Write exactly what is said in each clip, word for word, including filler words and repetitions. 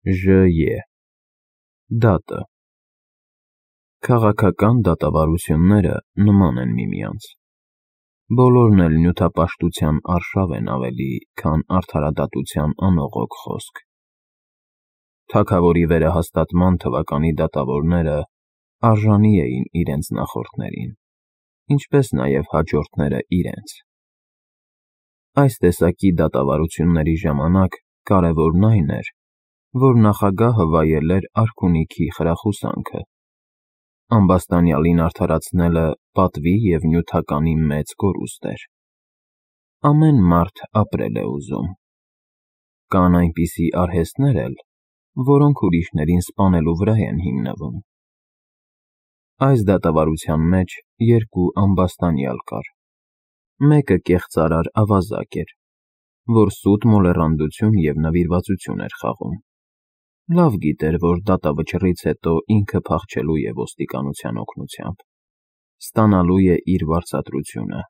Ժ Ե Դատը Քաղաքական դատավարությունները նման են միմյանց, բոլորն էլ նյութապաշտության արշավ են ավելի, քան արդարադատության անողոք խոսք։ Թագավորի վերահաստատման թվականի դատավորները արժանի էին իրենց նախորդներին, ինչպես նաև հաջորդները իրենց։ Այս տեսակի դատավարությունների ժամանակ կարևորն այն էր, որ նախագահը վայել էր արքունիքի խրախուսանքը։ Ամբաստանյալին արդարացնելը պատվի և նյութականի մեծ կորուստ էր։ Ամեն մարդ ապրել է ուզում։ Կան այնպիսի արհեստներ էլ, որոնք ուրիշներին սպանելու վրա են հիմնվում։ Այս դատավարության մեջ երկու ամբաստանյալ կար։ Մեկը կեղծարար ավազակ էր, որ սուտ մոլեռանդություն և նվիրվածություն էր խաղում։ Լավ գիտեր, որ դատավճռից հետո ինքը փախչելու է ոստիկանության օգնությամբ, ստանալու է իր վարձատրությունը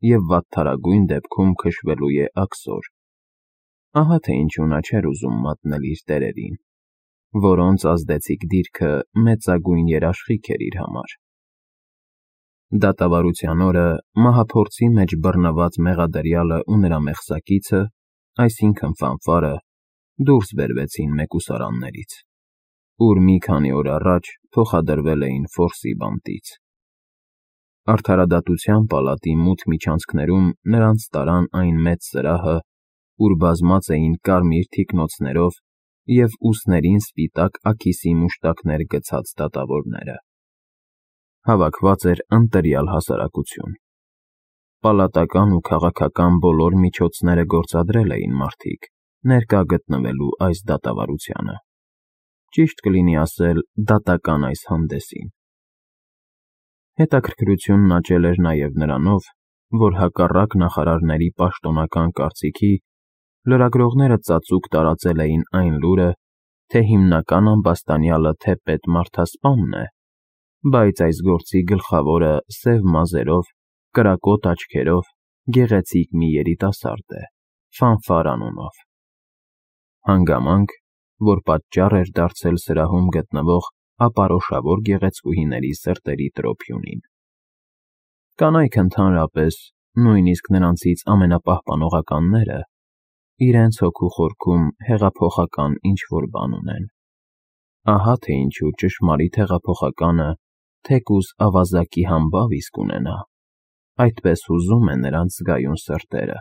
և վատթարագույն դեպքում քշվելու է աքսոր։ Ահա թե ինչու նա չէր ուզում մատնել իր տերերին, որոնց ազդեցիկ դիրքը մեծագույն երաշխիք էր իր համար։ Դատավարության օրը մահափորձի մեջ բռնված մեղադրյալը ու նրա մեղսակիցը, այսինքն՝ Ֆանֆարը, դուրս բերվեցին մեկուսարաններից, ուր մի քանի օր առաջ փոխադրվել էին Ֆորսի բանտից։ Արդարադատության պալատի մութ միջանցքներում նրանց տարան այն մեծ սրահը, ուր բազմած էին կարմիր թիկնոցներով և ուսներին սպիտակ աքիսի մուշտակներ գցած դատավորները։ Հավաքված էր ընտրյալ հասարակություն։ Պալատական ու քաղաքական բոլոր միջոցները գործադրել էին մարդիկ, ներկա գտնվելու այս դատավարությանը, ճիշտ կլինի ասել դատական այս հանդեսին։ Հետաքրքրությունն աճել էր նաև նրանով, որ հակառակ նախարարների պաշտոնական կարծիքի, լրագրողները ծածուկ տարածել էին այն լուրը, թե հիմնական ամբաստանյալը թե պետմարդասպանն է, բայց այս գործի գլխավորը սև մազերով, կրակոտ աչքերով, գեղեցիկ մի երիտասարդ է՝ Ֆանֆար անունով։ Հանգամանք, որ պատճառ էր դարձել սրահում գտնվող ապարոշավոր գեղեցկուհիների սրտերի տրոփյունին։ Կանայք ընդհանրապես, նույնիսկ նրանցից ամենապահպանողականները, իրենց հոգու խորքում հեղափոխական ինչ-որ բան ունեն։ Ահա թե ինչու ճշմարիտ հեղափոխականը թեկուզ ավազակի համբավ իսկ ունենա, այդպես հուզում է նրանց զգայուն սրտերը։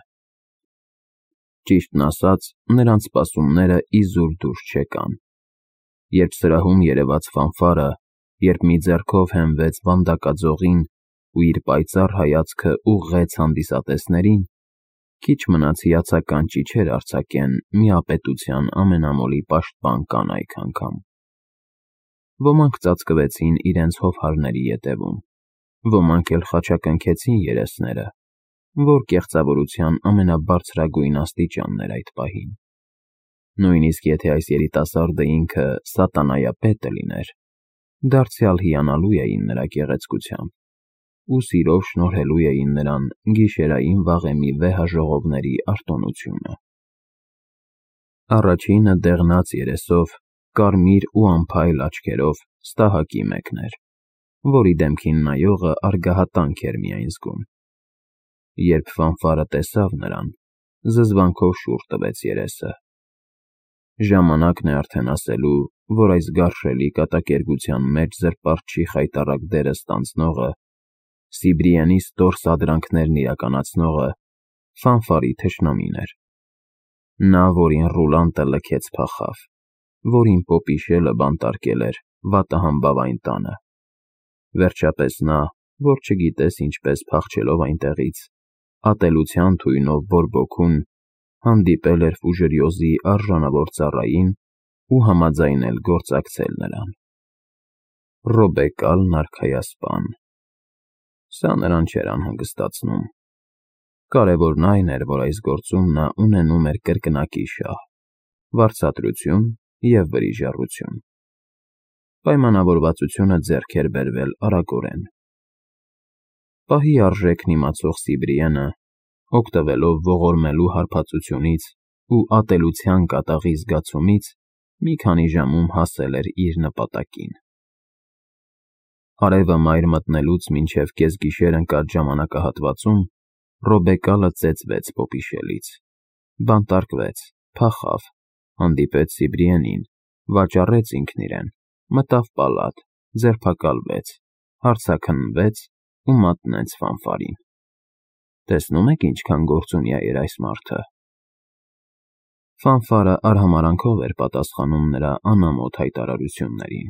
Ճիշտն ասած, նրանց սպասումները իզուր դուրս չեկան։ Երբ սրահում երևաց Ֆանֆարը, երբ մի ձեռքով հենվեց վանդակաձողին ու իր պայծառ հայացքը ուղղեց հանդիսատեսներին, քիչ մնաց հիացական ճիչեր արձակեն միապետության ամենամոլի պաշտպան կանայք անգամ։ Ոմանք ծածկվեցին իրենց հովհարների ետևում, ոմանք էլ խաչակնքեցին երեսները, որ կեղծավորության ամենաբարձրագույն աստիճանն էր այդ պահին։ Նույնիսկ եթե այս երիտասարդը ինքը սատանայապետը լիներ, դարձյալ հիանալու էին նրա գեղեցկությամբ ու սիրով շնորհելու էին նրան գիշերային վաղեմի վեհաժողովների արտոնությունը։ Առաջինը դեղնած երեսով, կարմիր ու անփայլ աչքերով ստահակի մեկն էր, որի դեմքին նայողը արգահատանք էր միայն զգում։ Երբ Ֆանֆարը տեսավ նրան, զզվանքով շուռ տվեց երեսը։ Ժամանակն է արդեն ասելու, որ այս գարշելի կատակերգության մեջ զրպարտչի խայտառակ դերը ստանձնողը, Սիբրիենի ստոր սադրանքներն իրականացնողը Ֆանֆարի թշնամին էր։ Նա, որին Ռուլանտը լքեց փախավ, որին Պոպիշելը բանտարկել էր վատահամբավ այն տանը։ Վերջապես նա, որ չգիտես ինչպես փախչելով այնտեղից, ատելության թույնով բորբոքում, հանդիպել էր Ֆուժերյոզի արժանավոր ծառային ու համաձայնել գործակցել նրան։ Ռոբեկալ նարքայասպան։ Սա նրան չէր անհանգստացնում։ Կարևորն այն էր, որ այս գործում նա ունենում էր կրկնակի շահ, վարձատրություն և վրիժառություն։ Պայմանավորվածությունը ձեռք էր բերվել արագորեն։ Պահի արժեքն իմացող Սիբրիենը, օգտվելով ողորմելու հարբածությունից ու ատելության կատաղի զգացումից, մի քանի ժամում հասել էր իր նպատակին։ Արևը մայր մտնելուց մինչև կեսգիշեր ընկած ժամանակահատվածում Ռոբեկալը ծեծվեց պոպիշելից, բանտարկվեց, փախավ, հանդիպեց Սիբրիենին, վաճառեց ինքն իրեն, մտավ պալատ, ձերբակալվեց, հարցաքննվեց ու մատնեց Ֆանֆարին։ Տեսնում եք ինչքան գործունյա էր այս մարդը։ Ֆանֆարը արհամարանքով էր պատասխանում նրա անամոթ հայտարարություններին։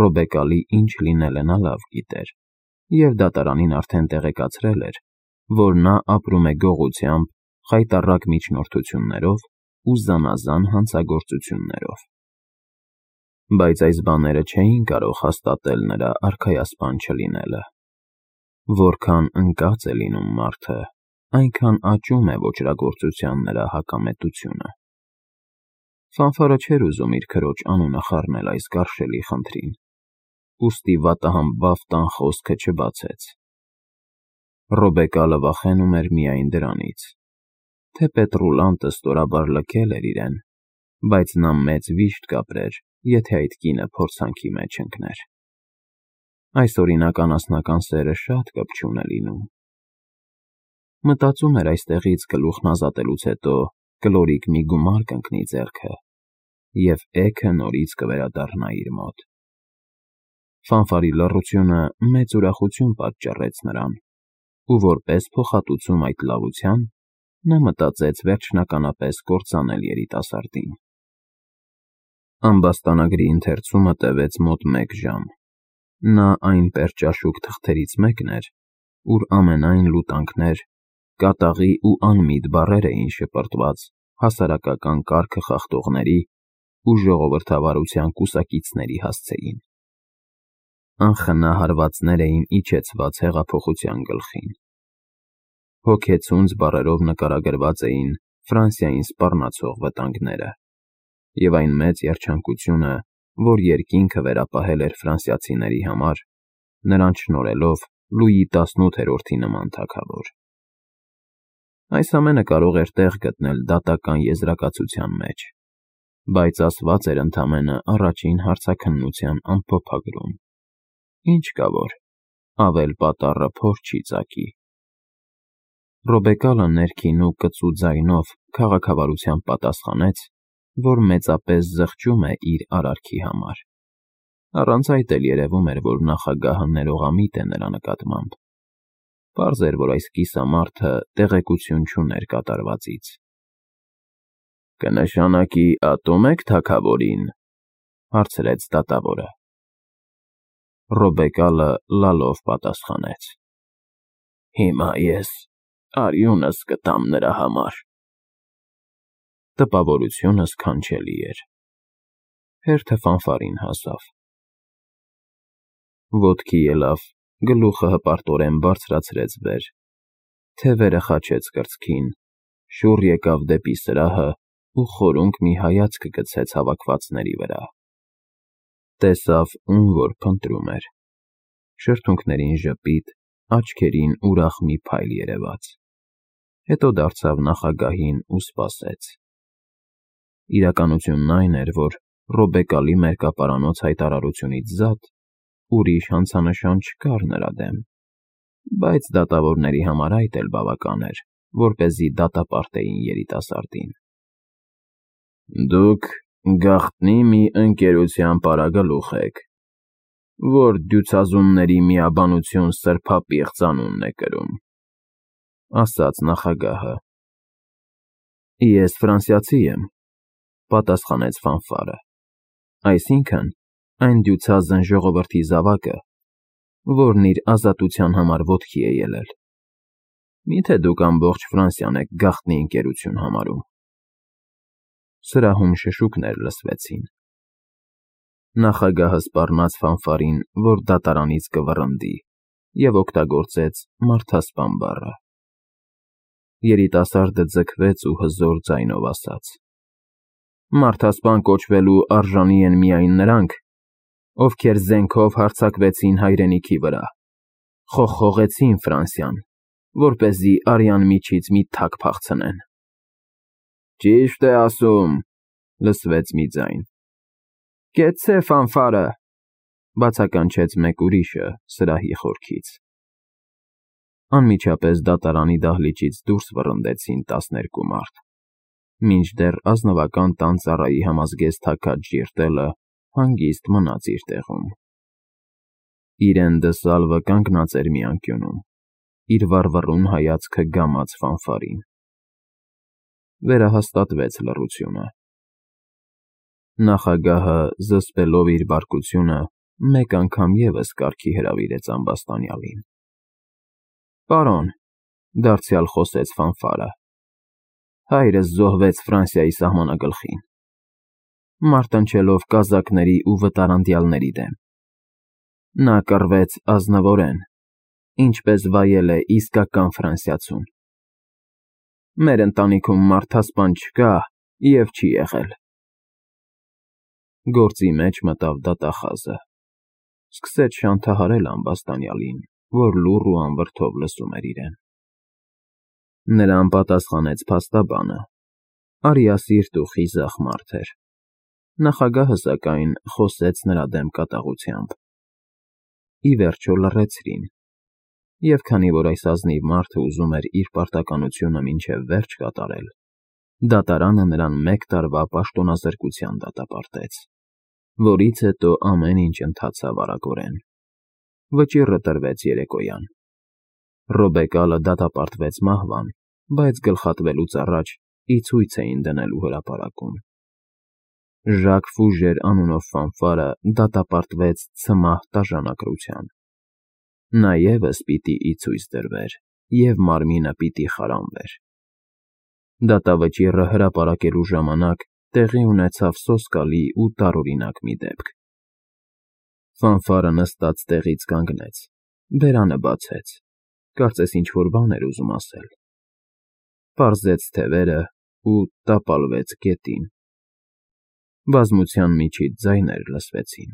Ռոբեկալի ինչ լինելը նա լավ գիտեր, և դատարանին արդեն տեղեկացրել էր, որ նա ապրում է գողությամբ, խայտառակ միջնորդություններով ու զանազան հանցագործություններով։ Բայց այս բաները չէին կարող հաստատել նրա արքայասպան չլինելը։ Որքան ընկած է լինում մարդը, այնքան աճում է ոճրագործության նրա հակամետությունը։ Ֆանֆարը չէր ուզում իր քրոջ անունը խառնել այս գարշելի խնդրին, ուստի վատահամբավ տան խոսքը չբացեց։ Ռոբեկալը վախենում էր միայն դրանից, թե Պետռուլանտը ստորաբար լքել էր իրեն, բայց նա մեծ վիշտ կապրեր, եթե այդ կինը փորձանքի մեջ ընկներ։ Այս օրինակ անասնական սերը շատ կպչուն է լինում։ Մտածում էր այստեղից գլուխն ազատելուց հետո կլորիկ մի գումար կընկնի ձեռքը, և էգը նորից կվերադառնա իր մոտ։ Ֆանֆարի լռությունը մեծ ուրախություն պատճառեց նրան, ու որպես փոխհատուցում այդ լավության, նա մտածեց վերջնականապես կործանել երիտասարդին։ Ամբաստանագրի ընթերցումը տևեց մոտ մեկ ժամ։ Նա այն պերճաշուք թղթերից մեկն էր, ուր ամենայն լուտանքներ, կատաղի ու անմիտ բառեր էին շպրտված հասարակական կարգը խախտողների ու ժողովրդավարության կուսակիցների հասցեին։ Անխնա հարվածներ էին իջեցված հեղափոխության գլխին։ Հոգեցունց բառերով նկարագրված էին Ֆրանսիային սպառնացող վտանգները և այն մեծ երջանկությունը, որ երկինքը վերապահել էր ֆրանսիացիների համար, նրանց շնորհելով Լուի տասնութերորդի նման թագավոր։ Այս ամենը կարող էր տեղ գտնել դատական եզրակացության մեջ, բայց ասված էր ընդամենը առաջին հարցաքննության ամփոփագրում։ Ինչ կա որ, ավել պատառը փոր չի ծակի։ Ռոբեկալը ներքին ու կծու ձայնով քաղաքավարությամբ պատասխանեց, որ մեծապես զղջում է իր արարքի համար։ Առանց այդ էլ երևում էր, որ նախագահը ներողամիտ է նրա նկատմամբ։ Պարզ էր, որ այս կիսամարդը տեղեկություն չուներ կատարվածից։ «Կնշանակի ատում եք թագավորին», հարցրեց դատավորը։ Ռոբեկալը լալով պատասխանեց. «Հիմա ես արյունս կտամ նրա համար»։ Տպավորությունը սքանչելի էր։ Հերթը Ֆանֆարին հասավ։ Ոտքի ելավ, գլուխը հպարտորեն բարձրացրեց վեր, թևերը խաչեց կրծքին, շուռ եկավ դեպի սրահը ու խորունկ մի հայացք գցեց հավաքվածների վրա։ Տեսավ, ում որ փնտրում էր։ Շրթունքներին ժպիտ, աչքերին ուրախ մի փայլ երևաց։ Հետո դարձավ նախագահին ու սպասեց։ Իրականությունն այն էր, որ Ռոբեկալի մերկապարանոց հայտարարությունից զատ ուրիշ հանցանշան չկար նրա դեմ, բայց դատավորների համար այդ էլ բավական էր, որպեսզի դատապարտեին երիտասարդին։ «Դուք գաղտնի մի ընկերության պարագլուխ եք, որ դյուցազունների միաբանություն սրբապիղծ անունն է կրում», ասաց նախագահը։ «Ես ֆրանսիացի եմ», պատասխանեց Ֆանֆարը, «այսինքն այն դյուցազն ժողովրդի զավակը, որն իր ազատության համար ոտքի է ելել։ Մի՞թե դուք ամբողջ Ֆրանսիան եք գաղտնի ընկերություն համարում»։ Սրահում շշուկներ լսվեցին։ Նախագահը սպառնաց Ֆանֆարին, որ դատարանից կվռնդի, և օգտագործեց մարդասպան բառը։ Երիտասարդը ձգվեց ու հզոր ձայնով ասաց. «Մարդասպան կոչվելու արժանի են միայն նրանք, ովքեր զենքով հարձակվեցին հայրենիքի վրա, խոխողեցին Ֆրանսիան, որպեսզի արյան միջից մի թագ փախցնեն»։ «Ճիշտ է ասում», լսվեց մի ձայն. «Կեցցե ֆանֆարը», բացականչեց մեկ ուրիշը սրահի խորքից։ Անմիջապես դատարանի դահլիճից դուրս վռնդեցին տասներկու մարդ, մինչդեռ ազնվական տան ծառայի համազգեստ թաքած ժիրտելը հանգիստ մնաց իր տեղում։ Իրեն դսալվը կանգնած էր մի անկյունում, իր վառվռուն հայացքը գամած ֆանֆարին։ Վերահաստատվեց լռությունը։ Նախագահը, զսպելով իր բարկությունը, մեկ անգամ ևս կարգի հրավիրեց ամբաստանյալին։ «Պարոն», դարձյալ խոսեց ֆանֆարը, «հայրս զոհվեց Ֆրանսիայի սահմանագլխին, մարտնչելով կազակների ու վտարանդյալների դեմ։ Նա կռվեց ազնվորեն, ինչպես վայել է իսկական ֆրանսիացուն։ Մեր ընտանիքում մարդասպան չկա և չի եղել»։ Գործի մեջ մտավ դատախազը, սկսեց շանթահարել ամբաստանյալին, որ լուռ ու անվրդով լսում էր իրեն։ Նրան պատասխանեց փաստաբանը, արիասիրտ ու խիզախ մարդ էր։ Նախագահը, սակայն, խոսեց նրա դեմ կատաղությամբ։ Ի վերջո լռեցրին, և քանի որ այս ազնիվ մարդը ուզում էր իր պարտականությունը մինչև վերջ կատարել, դատարանը նրան մեկ տարվա պաշտոնազրկության դատապարտեց, որից հետո ամեն ինչ ընթացավ արագորեն։ Վճիռը տրվեց երեկոյան։ Ռոբեկալը դատապարտվեց մահվան, բայց գլխատվելուց առաջ ի ցույց էին դնելու հրապարակում։ Ժակ Ֆուժեր անունով ֆանֆարը դատապարտվեց ցմահ տաժանակրության։ Նա ևս պիտի ի ցույց դրվեր, և մարմինը պիտի խարանվեր։ Դատավճիռը հրապարակելու ժամանակ տեղի ունեցավ սոսկալի ու տարօրինակ մի դեպք։ Ֆանֆարը նստած տեղից կանգնեց, բերանը բացեց, կարծես ինչ-որ բան էր ուզում ասել։ Պարզեց թևերը ու տապալվեց գետին։ Բազմության միջից ձայներ լսվեցին։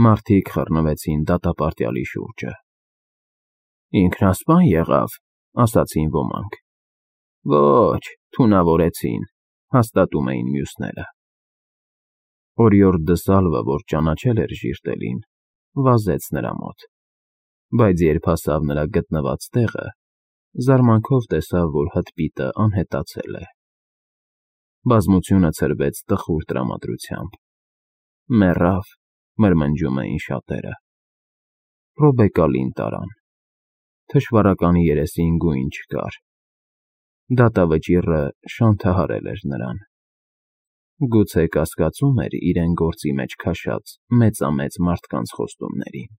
Մարդիկ խռնվեցին դատապարտյալի շուրջը։ «Ինքնասպա՞ն եղավ», ասացին ոմանք։ «Ոչ, թունավորեցին», հաստատում էին մյուսները։ Օրիորդ դսալվը, որ ճանաչել էր ժիրտելին, վազեց նրա մոտ, բայց երբ հասավ նրա գտնված տեղը, զարմանքով տեսավ, որ հտպիտը անհետացել է։ Բազմությունը ցրվեց տխուր տրամադրությամբ։ «Մեռավ», մրմնջում էին շատերը։ Ռոբեկալին տարան։ Թշվառականի երեսին գույն չկար։ Դատավճիռը շանթահարել էր նրան։ Գուցե կասկածում էր իրեն գործի մեջ քաշած մեծամեծ մարդկանց խոստումներին։